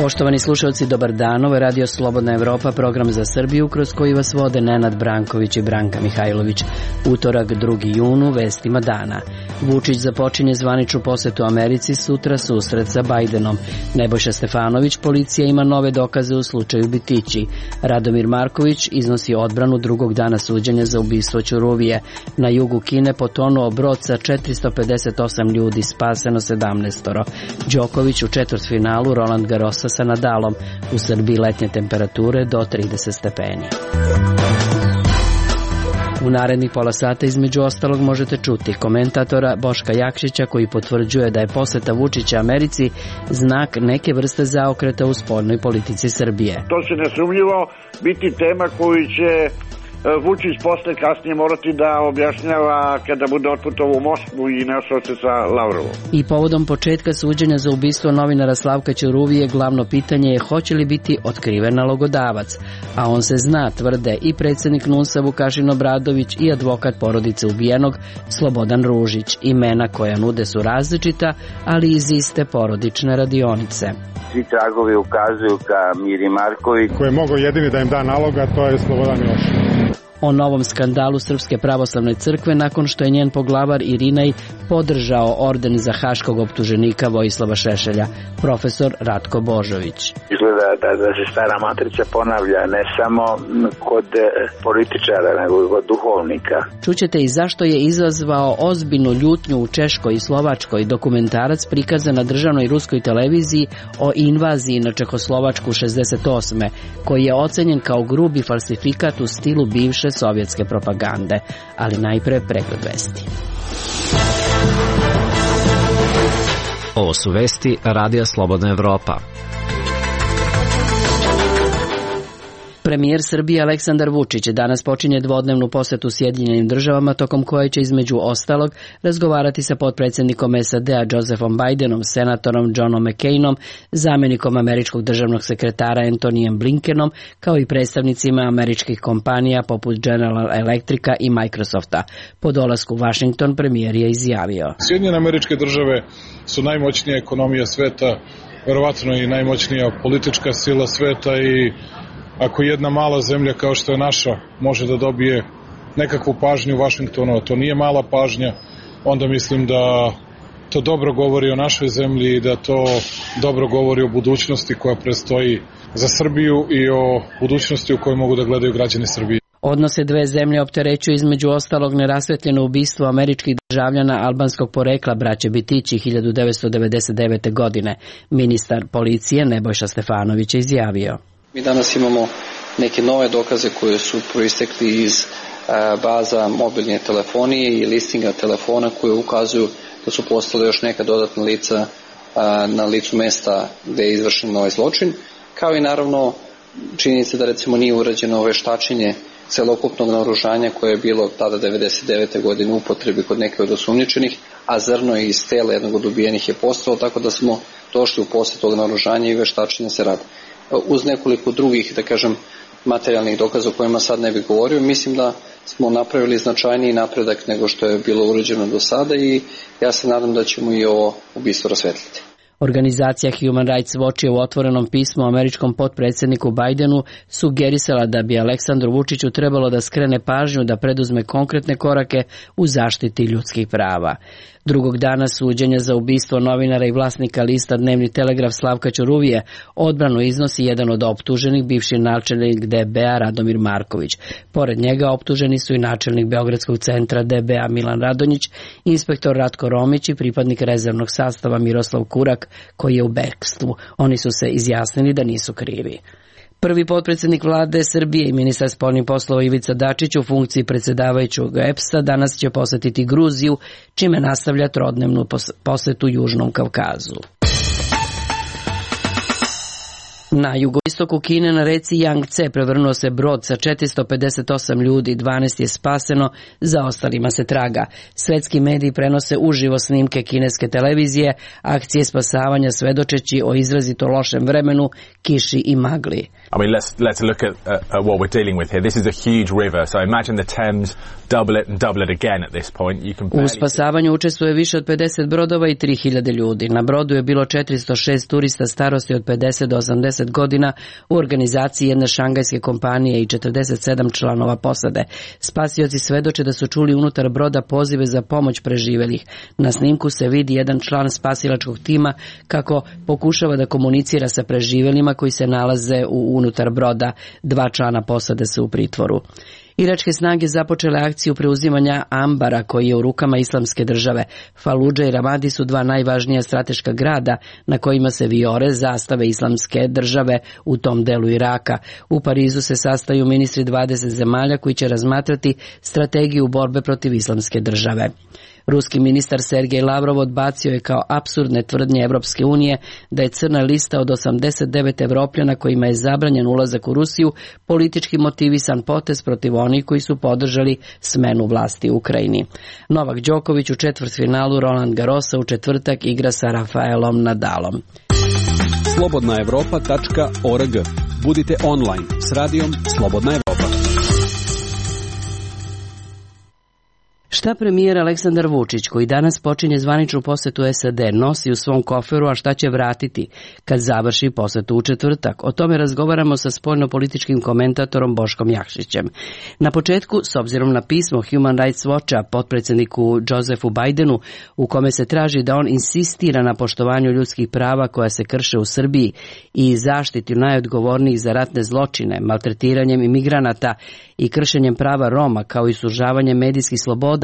Poštovani slušalci, dobar dan. Ovo je Radio Slobodna Evropa, program za Srbiju kroz koji vas vode Nenad Branković i Branka Mihajlović. Utorak, 2. junu, vestima dana. Vučić započinje zvaničnu posetu Americi, sutra susret sa Bajdenom. Nebojša Stefanović, policija ima nove dokaze u slučaju Bitići. Radomir Marković iznosi odbranu drugog dana suđenja za ubistvo Ćuruvije. Na jugu Kine potonuo brod sa 458 ljudi, spaseno 17. Đoković u četvrtfinalu Roland Garrosa sa Nadalom. U Srbiji letnje temperature do 30 stepeni. U narednih pola sata između ostalog možete čuti komentatora Boška Jakšića koji potvrđuje da je poseta Vučića Americi znak neke vrste zaokreta u spoljnoj politici Srbije. To će nesumnjivo biti tema koju će Vučić posle kasnije morati da objašnjava kada bude otputovao u Moskvu i našao se sa Lavrovom. I povodom početka suđenja za ubistvo novinara Slavka Ćuruvije glavno pitanje je hoće li biti otkriven nalogodavac, a on se zna, tvrde i predsjednik NUNS-a Vukašin Obradović i advokat porodice ubijenog Slobodan Ružić. Imena koja nude su različita, ali iz iste porodične radionice. Svi tragovi ukazuju ka Miri Marković, koji je mogao jedini da im da naloga, to je Slobodan Milošević. O novom skandalu Srpske pravoslavne crkve nakon što je njen poglavar Irinej podržao orden za haškog optuženika Vojislava Šešelja, profesor Ratko Božović. Izgleda da se stara matrica ponavlja ne samo kod političara, nego i kod duhovnika. Čućete i zašto je izazvao ozbiljnu ljutnju u Češkoj i Slovačkoj dokumentarac prikazan na državnoj ruskoj televiziji o invaziji na Čehoslovačku 68. koji je ocenjen kao grubi falsifikat u stilu bivše sovjetske propagande, ali najpre pregled vesti. Ovo su vesti Radija Slobodna Evropa. Premijer Srbije Aleksandar Vučić danas počinje dvodnevnu posetu Sjedinjenim državama, tokom koje će između ostalog razgovarati sa potpredsjednikom SAD-a Josephom Bajdenom, senatorom Johnom McCainom, zamjenikom američkog državnog sekretara Antonijem Blinkenom, kao i predstavnicima američkih kompanija poput General Electrica i Microsofta. Po dolasku u Washington premijer je izjavio: Sjedinjene Američke Države su najmoćnija ekonomija sveta, verovatno i najmoćnija politička sila sveta i ako jedna mala zemlja kao što je naša može da dobije nekakvu pažnju u Vašingtonu, a to nije mala pažnja, onda mislim da to dobro govori o našoj zemlji i da to dobro govori o budućnosti koja predstoji za Srbiju i o budućnosti u kojoj mogu da gledaju građani Srbije. Odnose dve zemlje opterećuju između ostalog nerasvetljeno ubistvo američkih državljana albanskog porekla braće Bitići 1999. godine. Ministar policije Nebojša Stefanović je izjavio: Mi danas imamo neke nove dokaze koje su proistekli iz baza mobilne telefonije i listinga telefona koje ukazuju da su postale još neka dodatna lica na licu mesta gde je izvršen ovaj zločin, kao i naravno činjenica da recimo nije urađeno veštačenje celokupnog naoružanja koje je bilo tada 1999. godine u upotrebi kod neke od osumnjičenih, a zrno iz tela jednog od ubijenih je postalo, tako da smo došli u posjed tog naoružanja i veštačenja se radi. Uz nekoliko drugih, da kažem, materijalnih dokaza o kojima sad ne bih govorio, mislim da smo napravili značajniji napredak nego što je bilo urađeno do sada i ja se nadam da ćemo i ovo ubistvo rasvetliti. Organizacija Human Rights Watch je u otvorenom pismu američkom potpredsjedniku Bajdenu sugerisala da bi Aleksandru Vučiću trebalo da skrene pažnju da preduzme konkretne korake u zaštiti ljudskih prava. Drugog dana suđenja za ubistvo novinara i vlasnika lista Dnevni telegraf Slavka Ćuruvije odbranu iznosi jedan od optuženih, bivši načelnik DB-a Radomir Marković. Pored njega optuženi su i načelnik Beogradskog centra DB-a Milan Radonjić, inspektor Ratko Romić i pripadnik rezervnog sastava Miroslav Kurak koji je u bekstvu. Oni su se izjasnili da nisu krivi. Prvi potpredsjednik vlade Srbije i ministar spoljnih poslova Ivica Dačić u funkciji predsjedavajućeg EPS-a danas će posetiti Gruziju, čime nastavlja trodnevnu posetu Južnom Kavkazu. Na jugoistoku Kine na reci Jangtze prevrnuo se brod sa 458 ljudi, 12 je spaseno, za ostalima se traga. Svetski mediji prenose uživo snimke kineske televizije, akcije spasavanja svedočeći o izrazito lošem vremenu, kiši i magli. I mean, let's look at what we're dealing with here. This is a huge river, so imagine the Thames, double it and double it again at this point. You can U spasavanju učestvuje više od 50 brodova i 3000 ljudi. Na brodu je bilo 406 turista starosti od 50 do 80 godina u organizaciji jedne šangajske kompanije i 47 članova posade. Spasioci svedoče da su čuli unutar broda pozive za pomoć preživelih. Na snimku se vidi jedan član spasilačkog tima kako pokušava da komunicira sa preživelima koji se nalaze unutar broda. 2 člana posade su u pritvoru. Iračke snage započele akciju preuzimanja Ambara koji je u rukama Islamske države. Faludža i Ramadi su 2 najvažnija strateška grada na kojima se vijore zastave Islamske države u tom delu Iraka. U Parizu se sastaju ministri 20 zemalja koji će razmatrati strategiju borbe protiv Islamske države. Ruski ministar Sergej Lavrov odbacio je kao apsurdne tvrdnje Evropske unije da je crna lista od 89 Evropljana kojima je zabranjen ulazak u Rusiju politički motivisan potez protiv onih koji su podržali smenu vlasti u Ukrajini. Novak Đoković u četvrtfinalu Roland Garrosa u četvrtak igra sa Rafaelom Nadalom. slobodnaevropa.org. Budite online s radijom Slobodna Evropa. Šta premijer Aleksandar Vučić, koji danas počinje zvaničnu posetu SAD, nosi u svom koferu, a šta će vratiti kad završi posetu u četvrtak? O tome razgovaramo sa spoljnopolitičkim komentatorom Boškom Jakšićem. Na početku, s obzirom na pismo Human Rights Watcha potpredsjedniku Josephu Bidenu, u kome se traži da on insistira na poštovanju ljudskih prava koja se krše u Srbiji i zaštiti najodgovornijih za ratne zločine, maltretiranjem imigranata i kršenjem prava Roma, kao i sužavanjem medijskih sloboda,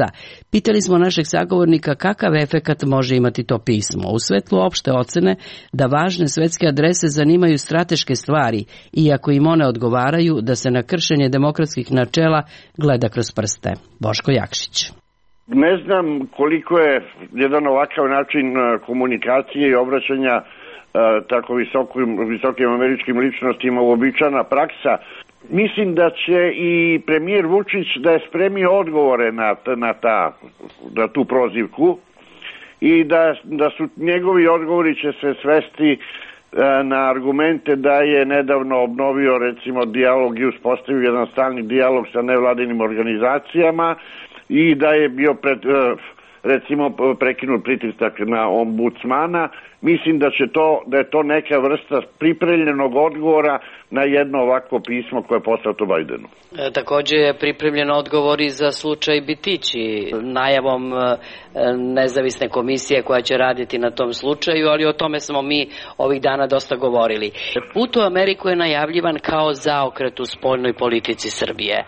pitali smo našeg sagovornika kakav efekat može imati to pismo. U svetlu opšte ocene da važne svetske adrese zanimaju strateške stvari, iako im one odgovaraju, da se na kršenje demokratskih načela gleda kroz prste. Boško Jakšić. Ne znam koliko je jedan ovakav način komunikacije i obraćanja tako visokim američkim ličnostima uobičajena praksa. Mislim da će i premijer Vučić da je spremio odgovore na tu prozivku i da su njegovi odgovori će se svesti na argumente da je nedavno obnovio recimo dijalog i uspostavio jedan stalni dijalog sa nevladinim organizacijama i da je bio recimo prekinut pritisak na ombudsmana. Mislim da je to neka vrsta pripremljenog odgovora na jedno ovako pismo koje je poslato Bajdenu. Također je pripremljen odgovor i za slučaj Bitići, najavom nezavisne komisije koja će raditi na tom slučaju, ali o tome smo mi ovih dana dosta govorili. Put u Ameriku je najavljivan kao zaokret u spoljnoj politici Srbije.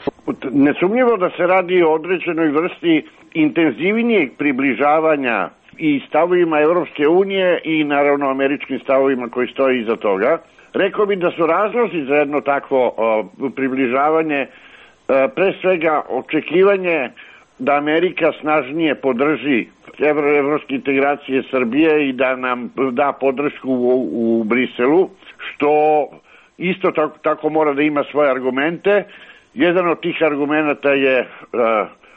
Nesumnjivo da se radi o određenoj vrsti intenzivnijeg približavanja i stavovima Evropske unije i naravno američkim stavovima koji stoji iza toga. Rekao bih da su razlozi za jedno takvo približavanje pre svega očekivanje da Amerika snažnije podrži evropske integracije Srbije i da nam da podršku u Briselu, što isto tako mora da ima svoje argumente. Jedan od tih argumenta je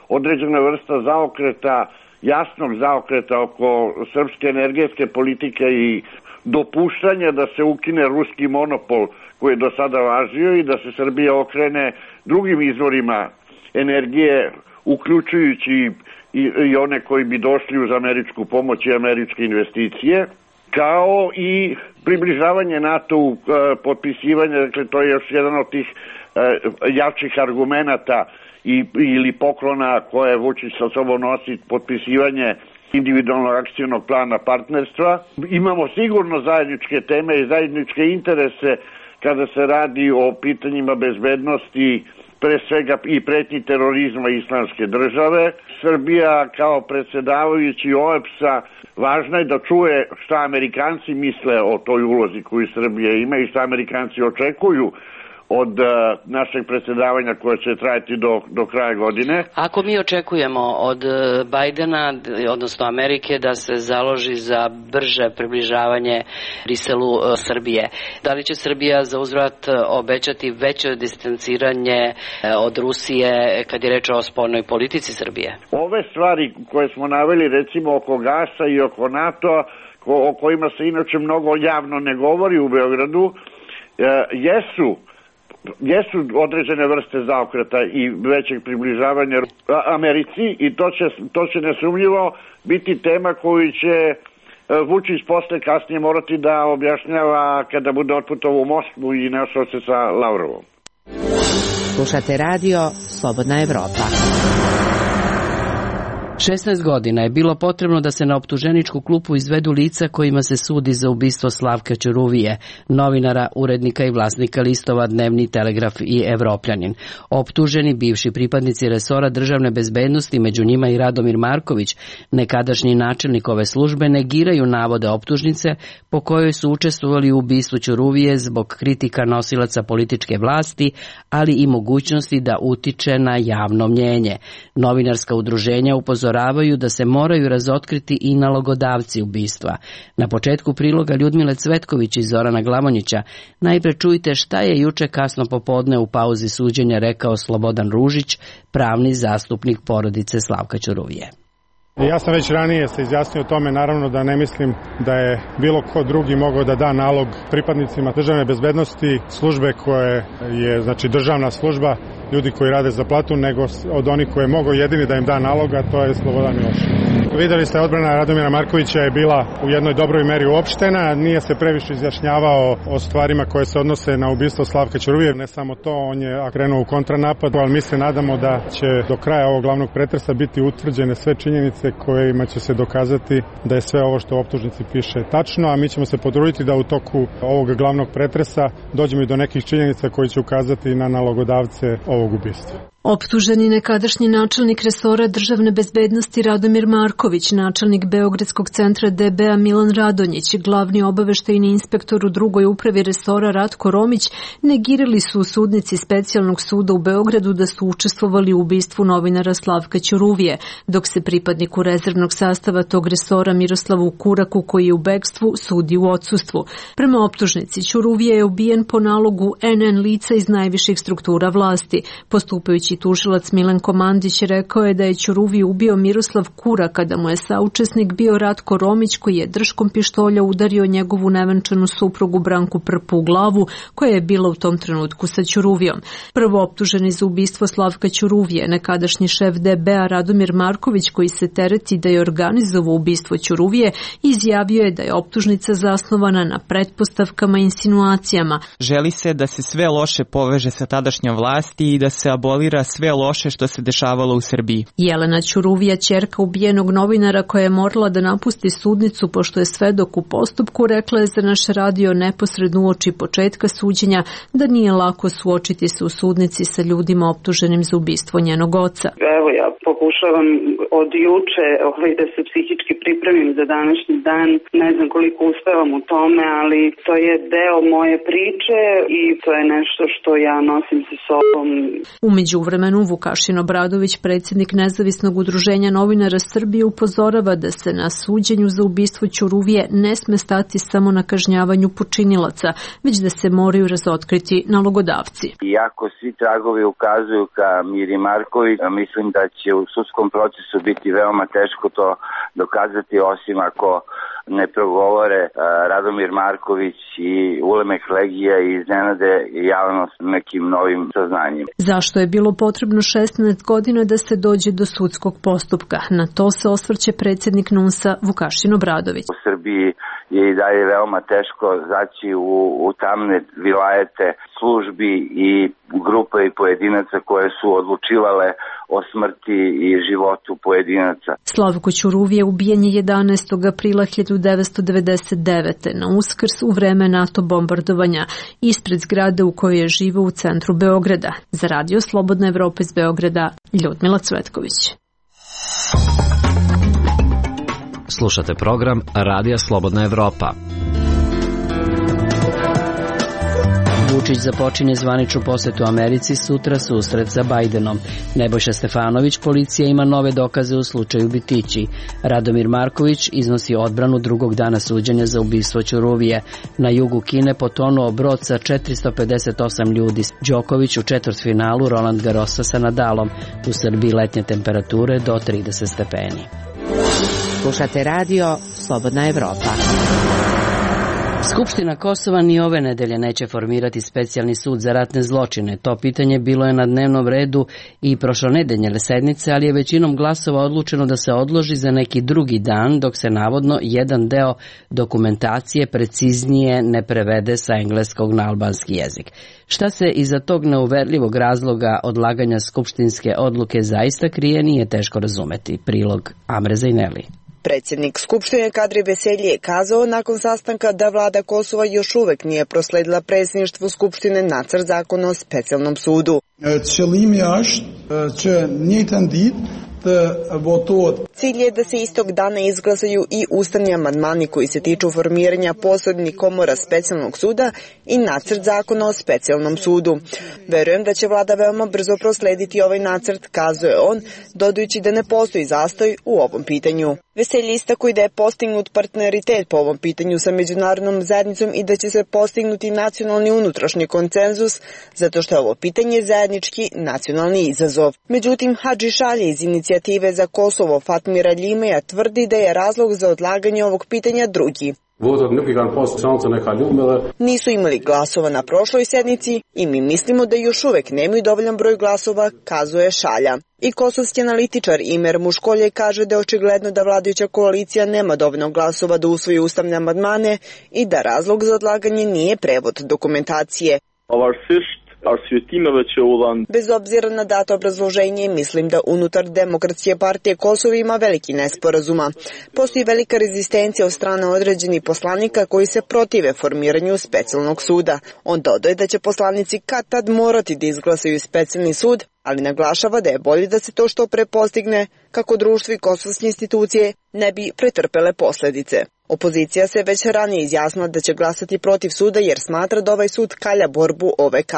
određena vrsta zaokreta, jasnog zaokreta oko srpske energetske politike i dopuštanja da se ukine ruski monopol koji je do sada važio i da se Srbija okrene drugim izvorima energije, uključujući i one koji bi došli uz američku pomoć i američke investicije, kao i približavanje NATO-u, potpisivanje, dakle to je još jedan od tih jačih argumenata ili poklona koje Vučić sa sobom nosi, potpisivanje individualnog akcijnog plana partnerstva. Imamo sigurno zajedničke teme i zajedničke interese kada se radi o pitanjima bezbednosti, pre svega i pretnji terorizma Islamske države. Srbija kao predsjedavajući OEBS-a važno je da čuje šta Amerikanci misle o toj ulozi koju Srbija ima i šta Amerikanci očekuju od našeg predsjedavanja koje će trajati do kraja godine. Ako mi očekujemo od Bajdena, odnosno Amerike, da se založi za brže približavanje Briselu Srbije, da li će Srbija za uzvrat obećati veće distanciranje od Rusije kad je reč o spoljnoj politici Srbije? Ove stvari koje smo naveli, recimo oko gasa i oko NATO, o kojima se inače mnogo javno ne govori u Beogradu, jesu jesu određene vrste zaokreta i većeg približavanja Americi i to će nesumnjivo biti tema koju će Vučić posle kasnije morati da objašnjava kada bude otputovao u Moskvu i našao se sa Lavrovom. Slušate radio Slobodna Evropa. 16 godina je bilo potrebno da se na optuženičku klupu izvedu lica kojima se sudi za ubistvo Slavka Ćuruvije, novinara, urednika i vlasnika listova Dnevni Telegraf i Evropljanin. Optuženi bivši pripadnici resora državne bezbednosti, među njima i Radomir Marković, nekadašnji načelnik ove službe, negiraju navode optužnice po kojoj su učestvovali u ubistvu Ćuruvije zbog kritika nosilaca političke vlasti, ali i mogućnosti da utiče na javno mnjenje. Novinarska udruženja upozoravaju da se moraju razotkriti i nalogodavci ubistva. Na početku priloga Ljudmile Cvetković i Zorana Glamonjića najpre čujte šta je juče kasno popodne u pauzi suđenja rekao Slobodan Ružić, pravni zastupnik porodice Slavka Ćuruvije. Ja sam već ranije se izjasnio o tome, naravno da ne mislim da je bilo ko drugi mogao da da nalog pripadnicima državne bezbednosti, službe koje je, znači državna služba, ljudi koji rade za platu, nego od onih koje je mogao jedini da im da nalog, a to je Slobodan Milošević. Videli ste, odbrana Radomira Markovića je bila u jednoj dobroj meri uopštena, nije se previše izjašnjavao o stvarima koje se odnose na ubistvo Slavka Ćuruvije. Ne samo to, on je krenuo u kontranapad, ali mi se nadamo da će do kraja ovog glavnog pretresa biti utvrđene sve činjenice kojima će se dokazati da je sve ovo što u optužnici piše tačno, a mi ćemo se potruditi da u toku ovog glavnog pretresa dođemo i do nekih činjenica koji će ukazati na nalogodavce ovog ubistva. Optuženi nekadašnji načelnik resora državne bezbednosti Radomir Marković, načelnik Beogradskog centra DB-a Milan Radonjić, glavni obaveštajni inspektor u drugoj upravi resora Ratko Romić negirali su u sudnici specijalnog suda u Beogradu da su učestvovali u ubistvu novinara Slavka Ćuruvije, dok se pripadniku rezervnog sastava tog resora Miroslavu Kuraku, koji je u bekstvu, sudi u odsustvu. Prema optužnici, Ćuruvije je ubijen po nalogu NN lica iz najviših struktura vlasti. Postupajući tužilac Milenko Mandić rekao je da je Ćuruviju ubio Miroslav Kura kada mu je saučesnik bio Ratko Romić, koji je držkom pištolja udario njegovu nevenčanu suprugu Branku Prpu u glavu, koja je bila u tom trenutku sa Ćuruvijom. Prvo optuženi za ubistvo Slavka Ćuruvije, nekadašnji šef DB-a Radomir Marković, koji se tereti da je organizovao ubistvo Ćuruvije, izjavio je da je optužnica zasnovana na pretpostavkama i insinuacijama. Želi se da se sve loše poveže sa tadašnjom vlasti i da se abolira sve loše što se dešavalo u Srbiji. Jelena Ćuruvija, ćerka ubijenog novinara koja je morala da napusti sudnicu pošto je svedok u postupku, rekla je za naš radio neposredno uoči početka suđenja da nije lako suočiti se u sudnici sa ljudima optuženim za ubistvo njenog oca. Evo, ja pokušavam od juče da se psihički pripremim za današnji dan. Ne znam koliko uspevam u tome, ali to je deo moje priče i to je nešto što ja nosim sa sobom. U međuvremenu Vukašin Obradović, predsjednik Nezavisnog udruženja novinara Srbije, upozorava da se na suđenju za ubistvo Ćuruvije ne sme stati samo na kažnjavanju počinilaca, već da se moraju razotkriti nalogodavci. Iako svi tragovi ukazuju ka Miri Marković, mislim da će u sudskom procesu biti veoma teško to dokazati, osim ako ne progovore Radomir Marković i Ulemek Legija i iznenade javnost nekim novim saznanjima. Zašto je bilo potrebno 16 godina da se dođe do sudskog postupka? Na to se osvrće predsjednik NUNS-a Vukašin Obradović. U Srbiji je i dalje veoma teško zaći u tamne vilajete službi i grupa i pojedinaca koje su odlučivale o smrti i životu pojedinaca. Slavko Ćuruvije ubijen je 11. aprila 1999. na Uskrs u vreme NATO bombardovanja ispred zgrade u kojoj je živeo u centru Beograda. Za radio Slobodna Evropa iz Beograda, Ljudmila Cvetković. Slušate program Radija Slobodna Evropa. Vučić započinje zvaničnu posetu Americi, sutra susret sa Bajdenom. Nebojša Stefanović, policija ima nove dokaze u slučaju Bitići. Radomir Marković iznosi odbranu drugog dana suđenja za ubistvo Ćuruvije. Na jugu Kine potonuo brod sa 458 ljudi. Đoković u četvrtfinalu Roland Garrosa sa Nadalom. U Srbiji letnje temperature do 30 stepeni. Slušate radio Slobodna Evropa. Skupština Kosova ni ove nedelje neće formirati specijalni sud za ratne zločine. To pitanje bilo je na dnevnom redu i prošlonedeljne sednice, ali je većinom glasova odlučeno da se odloži za neki drugi dan, dok se navodno jedan deo dokumentacije preciznije ne prevede sa engleskog na albanski jezik. Šta se iza tog neuverljivog razloga odlaganja skupštinske odluke zaista krije, nije teško razumeti. Prilog Amre Zajneli. Predsjednik Skupštine Kadri Veselji je kazao nakon sastanka da vlada Kosova još uvek nije prosledila predsjedništvu Skupštine nacrt zakona o specijalnom sudu. Cilj je da se istog dana izglasaju i ustavni amandmani koji se tiču formiranja posebnih komora specijalnog suda i nacrt zakona o specijalnom sudu. Verujem da će vlada veoma brzo proslediti ovaj nacrt, kazuje on, dodajući da ne postoji zastoj u ovom pitanju. Veselji istakuje da je postignut partneritet po ovom pitanju sa međunarodnom zajednicom i da će se postignuti nacionalni unutrašnji konsenzus, zato što je ovo pitanje zajednički nacionalni izazov. Međutim, Hadži Šalje iz inicijative za Kosovo Fatmira Ljimeja tvrdi da je razlog za odlaganje ovog pitanja drugi. Nisu imali glasova na prošloj sednici i mi mislimo da još uvek nemaju dovoljan broj glasova, kazuje Šalja. I kosovski analitičar Imer Muškolje kaže da je očigledno da vladajuća koalicija nema dovoljno glasova da usvoji ustavne amandmane i da razlog za odlaganje nije prevod dokumentacije. Bez obzira na dato obrazloženje, mislim da unutar Demokratske partije Kosova ima veliki nesporazuma. Postoji velika rezistencija od strane određenih poslanika koji se protive formiranju specijalnog suda. On dodaje da će poslanici kad tad morati da izglasaju specijalni sud, ali naglašava da je bolje da se to što pre postigne kako društvo i kosovske institucije ne bi pretrpele posledice. Opozicija se već ranije izjasnila da će glasati protiv suda jer smatra da ovaj sud kalja borbu OVK.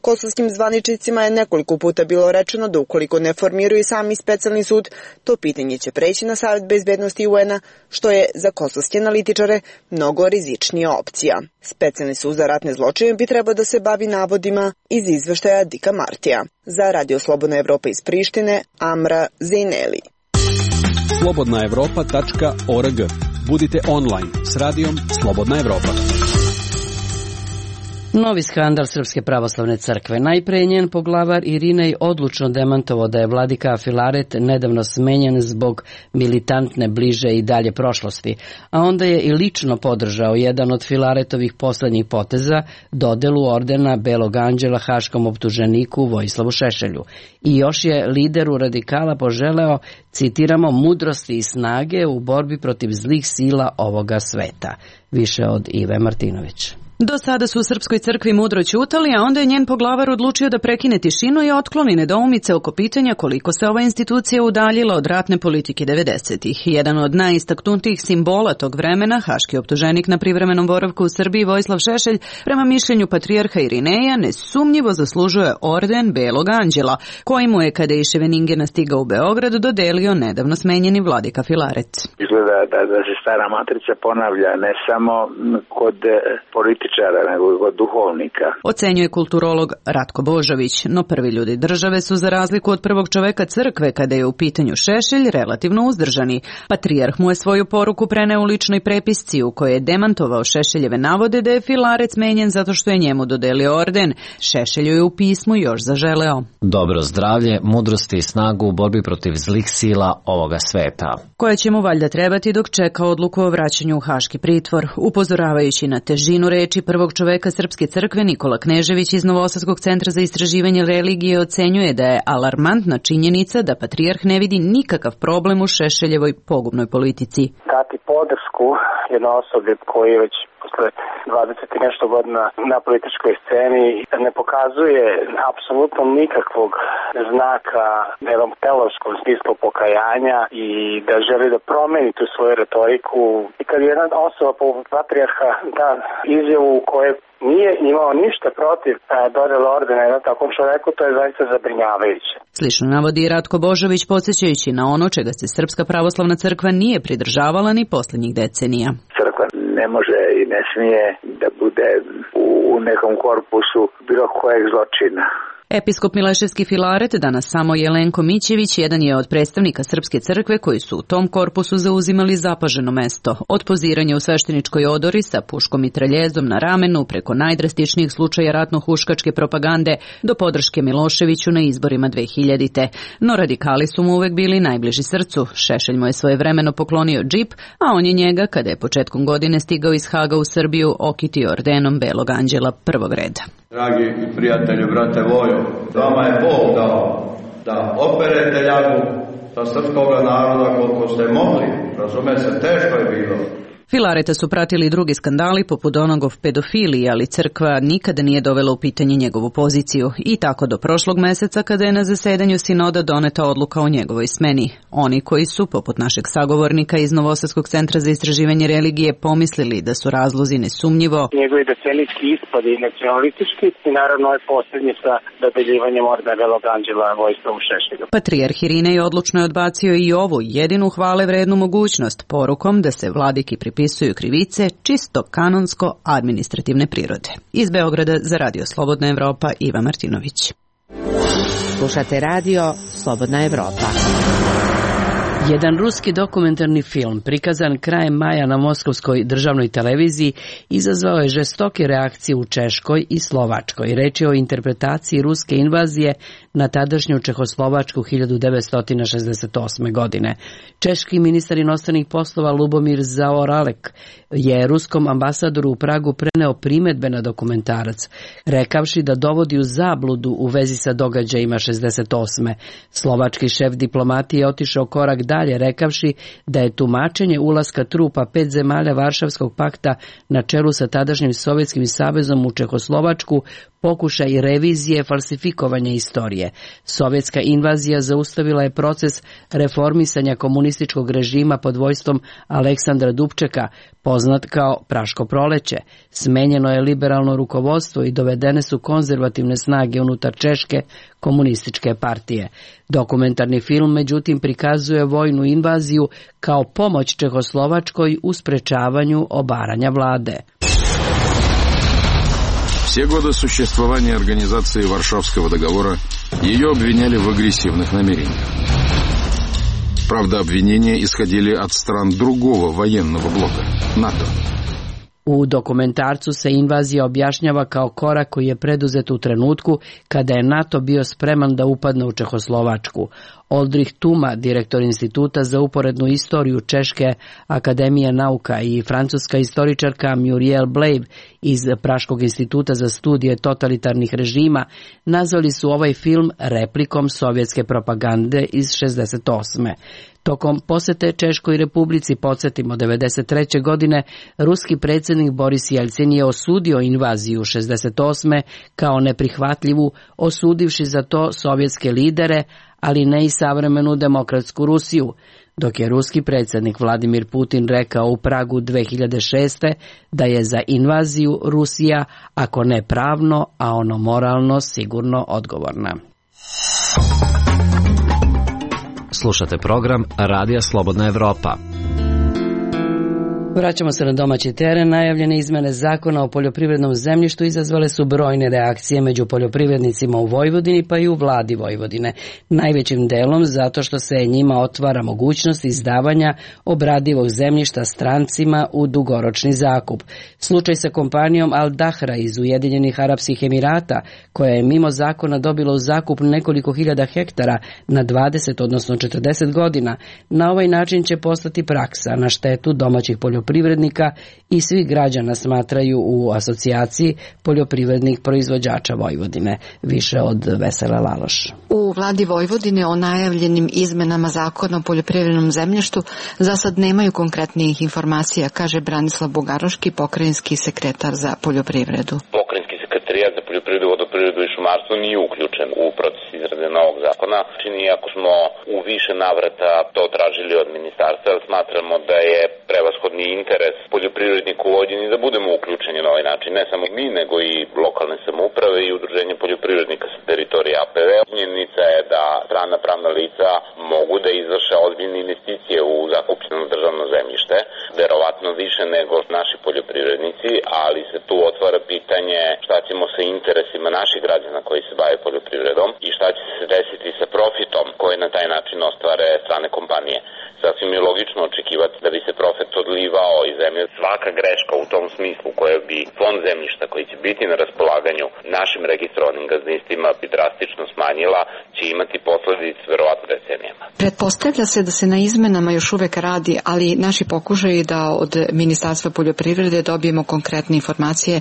Kosovskim zvaničnicima je nekoliko puta bilo rečeno da ukoliko ne formiraju sami specijalni sud, to pitanje će preći na Savet bezbednosti UN-a, što je za kosovske analitičare mnogo rizičnija opcija. Specijalni sud za ratne zločine bi trebao da se bavi navodima iz izveštaja Dika Martija. Za Radio Slobodna Evropa iz Prištine, Amra Zajneli. slobodnaevropa.org. Budite online s radijom Slobodna Evropa. Novi skandal Srpske pravoslavne crkve. Najpre je njen poglavar Irinej odlučno demantovao da je vladika Filaret nedavno smenjen zbog militantne bliže i dalje prošlosti, a onda je i lično podržao jedan od Filaretovih poslednjih poteza, dodelu ordena Belog anđela haškom optuženiku Vojislavu Šešelju. I još je lideru radikala poželeo, citiramo, mudrosti i snage u borbi protiv zlih sila ovoga sveta. Više od Ive Martinović. Do sada su u Srpskoj crkvi mudro ćutali, a onda je njen poglavar odlučio da prekine tišinu i otkloni nedoumice oko pitanja koliko se ova institucija udaljila od ratne politike 90-ih. Jedan od najistaknutijih simbola tog vremena, haški optuženik na privremenom boravku u Srbiji Vojislav Šešelj, prema mišljenju patrijarha Irineja, nesumnjivo zaslužuje orden Belog anđela, koji mu je, kada je iz Ševeningena stigao u Beograd, dodelio nedavno smenjeni vladika Filaret. Izgleda da se stara matrica ponavlja ne samo kod nego od duhovnika. Ocenjuje kulturolog Ratko Božović, no prvi ljudi države su za razliku od prvog čoveka crkve kada je u pitanju Šešelj relativno uzdržani. Patrijarh mu je svoju poruku preneo u ličnoj prepisci u kojoj je demantovao Šešeljeve navode da je Filaret smenjen zato što je njemu dodelio orden. Šešelju je u pismu još zaželeo dobro zdravlje, mudrosti i snagu u borbi protiv zlih sila ovoga sveta, koja će mu valjda trebati dok čeka odluku o vraćanju u haški pritvor. Upozoravajući na težinu reči prvog čoveka Srpske crkve, Nikola Knežević iz Novosadskog centra za istraživanje religije ocenjuje da je alarmantna činjenica da patrijarh ne vidi nikakav problem u Šešeljevoj pogubnoj politici. Dati podršku jednoj osobi koji je već posle 20 i nešto godina na političkoj sceni ne pokazuje apsolutno nikakvog znaka jednom teološkom smislu pokajanja i da želi da promeni tu svoju retoriku. I kad jedna osoba po patrijarha da izjavu u kojoj nije imao ništa protiv dodele ordena jednom takvom čoveku, to je zaista zabrinjavajuće. Slično navodi i Ratko Božović, podsjećajući na ono čega se Srpska pravoslavna crkva nije pridržavala ni poslednjih decenija. Crkva ne može i ne smije da bude u nekom korpusu bilo kojeg zločina. Episkop Mileševski Filaret, danas samo Jelenko Mićević, jedan je od predstavnika Srpske crkve koji su u tom korpusu zauzimali zapaženo mesto. Od poziranja u svešteničkoj odori sa puškom i treljezom na ramenu, preko najdrastičnijih slučaja ratno-huškačke propagande do podrške Miloševiću na izborima 2000. No radikali su mu uvek bili najbliži srcu. Šešelj mu je svojevremeno poklonio džip, a on je njega, kada je početkom godine stigao iz Haga u Srbiju, okitio ordenom Belog anđela prvog reda. Dragi prijatelju, brate Vojo, vama je Bog dao da operete ljagu sa srpskog naroda koliko ste mogli. Razume se, teško je bilo. Filareta su pratili drugi skandali poput onog o pedofiliji, ali crkva nikada nije dovela u pitanje njegovu poziciju. I tako do prošlog meseca kada je na zasedanju sinoda doneta odluka o njegovoj smeni. Oni koji su, poput našeg sagovornika iz Novosadskog centra za istraživanje religije, pomislili da su razlozi nesumnjivo njegovi decenijski ispadi i nacionalistički i naravno je posljednji sa dodeljivanjem ordena Belog anđela Vojislavu Šešelju. Patrijarh Irinej odlučno je odbacio i ovu jedinu hvale vrednu mogućnost, porukom da se vladiki pripisuju krivice čisto kanonsko-administrativne prirode. Iz Beograda za Radio Slobodna Evropa, Iva Martinović. Slušate radio Slobodna Evropa. Jedan ruski dokumentarni film prikazan krajem maja na Moskovskoj državnoj televiziji izazvao je žestoke reakcije u Češkoj i Slovačkoj. Reč je o interpretaciji ruske invazije na tadašnju Čehoslovačku 1968. godine. Češki ministar inostranih poslova Lubomir Zaoralek je ruskom ambasadoru u Pragu preneo primedbe na dokumentarac, rekavši da dovodi u zabludu u vezi sa događajima 68. Slovački šef diplomatije je otišao korak dalje, rekavši da je tumačenje ulaska trupa 5 zemalja Varšavskog pakta na čelu sa tadašnjim Sovjetskim savezom u Čehoslovačku pokušaj revizije falsifikovanja istorije. Sovjetska invazija zaustavila je proces reformisanja komunističkog režima pod vojstvom Aleksandra Dubčeka, poznat kao Praško proleće. Smenjeno je liberalno rukovodstvo i dovedene su konzervativne snage unutar Češke komunističke partije. Dokumentarni film, međutim, prikazuje vojnu invaziju kao pomoć Čehoslovačkoj u sprečavanju obaranja vlade. Все годы существования организации Варшавского договора ее обвиняли в агрессивных намерениях. Правда, обвинения исходили от стран другого военного блока – НАТО. U dokumentarcu se invazija objašnjava kao korak koji je preduzet u trenutku kada je NATO bio spreman da upadne u Čehoslovačku. Oldrich Tuma, direktor Instituta za uporednu istoriju Češke akademije nauka, i francuska istoričarka Muriel Blave iz Praškog instituta za studije totalitarnih režima nazvali su ovaj film replikom sovjetske propagande iz 68. Tokom posete Češkoj republici, podsjetimo, 1993. godine, ruski predsjednik Boris Jelcin je osudio invaziju 68. kao neprihvatljivu, osudivši za to sovjetske lidere, ali ne i savremenu demokratsku Rusiju, dok je ruski predsjednik Vladimir Putin rekao u Pragu 2006. da je za invaziju Rusija, ako ne pravno, a ono moralno, sigurno odgovorna. Slušate program Radija Slobodna Evropa. Vraćamo se na domaći teren. Najavljene izmene zakona o poljoprivrednom zemljištu izazvale su brojne reakcije među poljoprivrednicima u Vojvodini, pa i u vladi Vojvodine. Najvećim delom zato što se njima otvara mogućnost izdavanja obradivog zemljišta strancima u dugoročni zakup. Slučaj sa kompanijom Al Dahra iz Ujedinjenih Arapskih Emirata, koja je mimo zakona dobila u zakup nekoliko hiljada hektara na 20, odnosno 40 godina, na ovaj način će postati praksa na štetu domaćih poljoprivrednika i svih građana, smatraju u asocijaciji poljoprivrednih proizvođača Vojvodine. Više od Vesela Laloš. U vladi Vojvodine o najavljenim izmenama zakona o poljoprivrednom zemljištu za sad nemaju konkretnijih informacija, kaže Branislav Bugaroški, pokrajinski sekretar za poljoprivredu. Pokrajinski sekretarijat za poljoprivredu, vodoprivredu i šumarstvo nije uključen u proces izrade novog zakona. zakona. Iako smo u više navrata to tražili od ministarstva, smatramo da je prevashodni interes poljoprivrednika u Vojvodini da budemo uključeni na ovaj način. Ne samo mi, nego i lokalne samouprave i udruženje poljoprivrednika sa teritorije APV. Činjenica je da strana pravna lica mogu da izvrše ozbiljne investicije u zakupljeno državno zemljište, verovatno više nego naši poljoprivrednici, ali se tu otvara pitanje šta ćemo sa interesima naših građana koji se bave poljoprivredom i šta će se desiti sa profitom koje na taj način ostvare strane kompanije. Sasvim je logično očekivati da bi se profit odlivao iz zemlje. Svaka greška u tom smislu koja bi fond zemljišta koji će biti na raspolaganju našim registrovanim gazdinstvima bi drastično smanjila, će imati posledice verovatno decenijama. Pretpostavlja se da se na izmenama još uvek radi, ali naši pokušaji da od Ministarstva poljoprivrede dobijemo konkretne informacije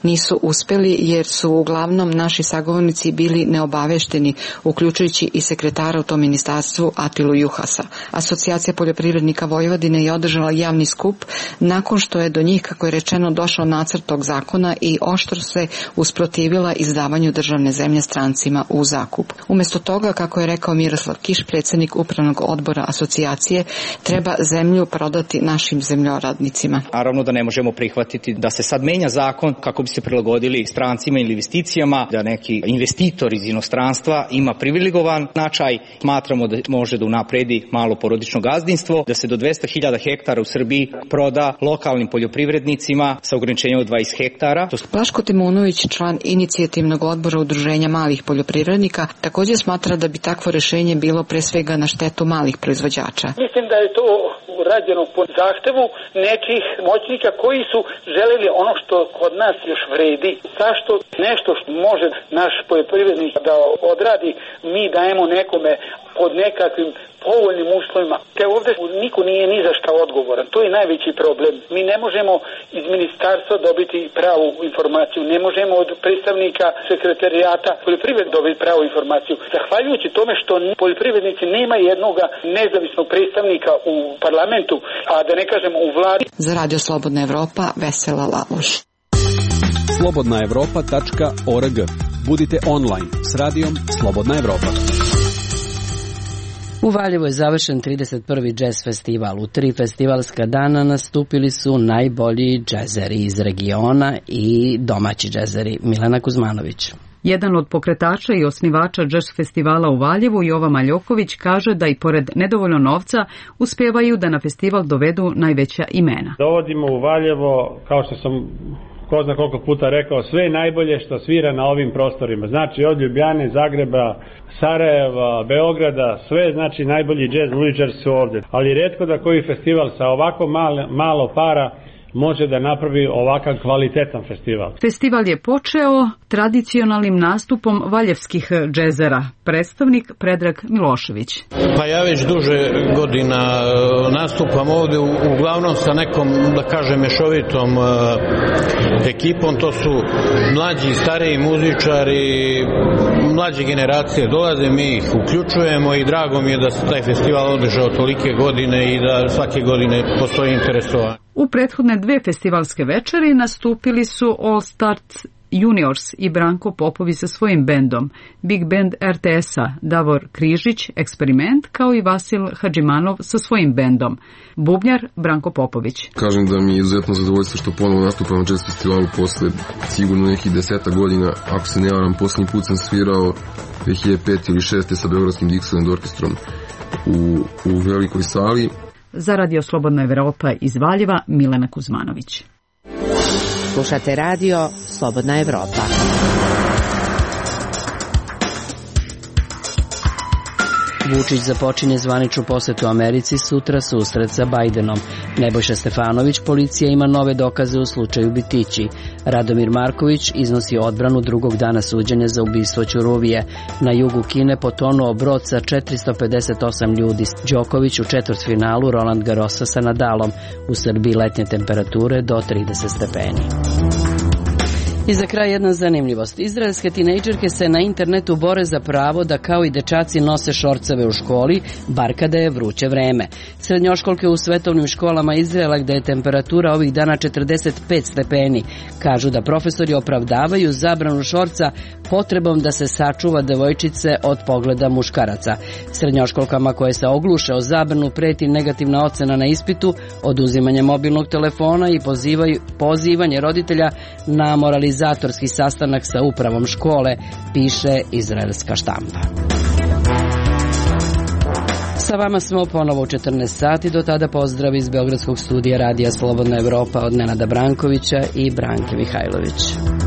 nisu uspeli, jer su uglavnom naši sagovornici bili neobavešteni, uključujući i sekretara u tom ministarstvu Atilu Juhasa. Asocijacija poljoprivrednika Vojvodine je održala javni skup nakon što je do njih, kako je rečeno, došao nacrt tog zakona i oštro se usprotivila izdavanju državne zemlje strancima u zakup. Umesto toga, kako je rekao Miroslav Kiš, predsjednik upravnog odbora asocijacije, treba zemlju prodati našim zemljoradnicima. Naravno da ne možemo prihvatiti da se sad menja zakon kako bi se prilagodili strancima ili investicijama, da neki investitor iz inostranstva ima privilegovan značaj. Smatramo da može da unapredi malo porodično gazdinstvo, da se do 200.000 hektara u Srbiji proda lokalnim poljoprivrednicima sa ograničenjem od 20 hektara. Blaško Timunović, član inicijativnog odbora udruženja malih poljoprivrednika, također smatra da bi takvo rešenje bilo pre svega na štetu malih proizvođača. Mislim da je to rađeno po zahtevu nekih moćnika koji su želeli ono što kod nas još vredi. Zašto nešto što može naš poljoprivrednik da odradi, mi dajemo nekome pod nekakvim povoljnim uslovima. Te ovdje niko nije ni za šta odgovoran. To je najveći problem. Mi ne možemo iz ministarstva dobiti pravu informaciju. Ne možemo od predstavnika sekretarijata poljoprivrede dobiti pravu informaciju. Zahvaljujući tome što poljoprivrednici nema jednog nezavisnog predstavnika u parlamentu, a da ne kažem u vladi. Za Radio Slobodna Evropa, Vesela Laloš. slobodnaevropa.org. Budite online s radijom Slobodna Evropa. U Valjevu je završen 31. džez festival. U 3 festivalska dana nastupili su najbolji džezeri iz regiona i domaći džezeri. Milena Kuzmanović. Jedan od pokretača i osnivača džez festivala u Valjevu, Jova Maljoković, kaže da i pored nedovoljno novca uspevaju da na festival dovedu najveća imena. Dovodimo u Valjevo, kao što sam ko zna koliko puta rekao, sve najbolje što svira na ovim prostorima. Znači od Ljubljane, Zagreba, Sarajeva, Beograda, sve znači najbolji džez muzičari su ovdje. Ali retko da koji festival sa ovako malo para može da napravi ovakav kvalitetan festival. Festival je počeo tradicionalnim nastupom valjevskih džezera. Predstavnik Predrag Milošević. Pa ja već duže godina nastupam ovdje, uglavnom sa nekom, da kažem, mešovitom ekipom. To su mlađi, stariji muzičari, mlađe generacije dolaze, mi ih uključujemo i drago mi je da se taj festival održao tolike godine i da svake godine postoji interesovanje. U prethodne 2 festivalske večeri nastupili su All Stars Juniors i Branko Popović sa svojim bendom, Big Band RTS-a, Davor Križić, Eksperiment, kao i Vasil Hadžimanov sa svojim bendom, bubnjar Branko Popović. Kažem da mi je izuzetno zadovoljstvo što ponovo nastupam na jazz festivalu posle sigurno nekih 10 godina. Ako se ne varam, posljednji put sam svirao 2005 ili 2006 sa Beogradskim Dixieland orkestrom u velikoj sali. Za Radio Slobodna Evropa iz Valjeva, Milena Kuzmanović. Slušate radio Slobodna Evropa. Vučić započinje zvaničnu posetu Americi, sutra susret sa Bajdenom. Nebojša Stefanović, policija ima nove dokaze u slučaju Bitići. Radomir Marković iznosi odbranu drugog dana suđenja za ubistvo Ćuruvije. Na jugu Kine potonuo brod sa 458 ljudi. Đoković u četvrtfinalu Roland Garrosa sa Nadalom. U Srbiji letnje temperature do 30 stepeni. I za kraj jedna zanimljivost. Izraelske tinejdžerke se na internetu bore za pravo da kao i dečaci nose šorceve u školi, bar kada je vruće vreme. Srednjoškolke u svetovnim školama Izraela, gde je temperatura ovih dana 45 stepeni, kažu da profesori opravdavaju zabranu šorca potrebom da se sačuva devojčice od pogleda muškaraca. Srednjoškolkama koje se ogluše o zabranu preti negativna ocena na ispitu, oduzimanje mobilnog telefona i pozivanje roditelja na moralizatorski sastanak sa upravom škole, piše izraelska štampa. Sa vama smo ponovo u 14 sati, do tada pozdrav iz Beogradskog studija Radija Slobodna Evropa od Nenada Brankovića i Branke Mihajlović.